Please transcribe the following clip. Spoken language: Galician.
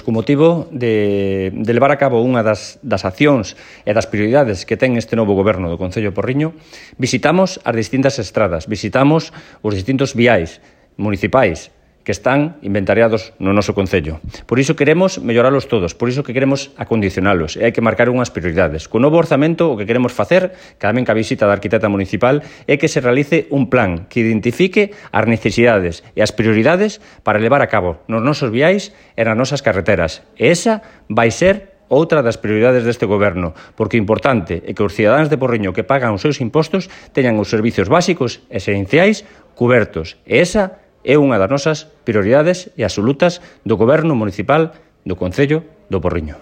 co motivo de levar a cabo unha das accións e das prioridades que ten este novo goberno do Concello de Porriño, visitamos as distintas estradas, visitamos os distintos viais municipais que están inventariados no noso Concello. Por iso queremos melloralos todos, por iso que queremos acondicionalos, e hai que marcar unhas prioridades. Co novo orzamento, o que queremos facer, tamén ca visita da arquitecta municipal, é que se realice un plan que identifique as necesidades e as prioridades para levar a cabo nos nosos viais e nas nosas carreteras. E esa vai ser outra das prioridades deste goberno, porque o importante é que os cidadáns de Porriño que pagan os seus impostos teñan os servizos básicos e esenciais cubertos. E esa é unha das nosas prioridades e absolutas do Goberno Municipal do Concello do Porriño.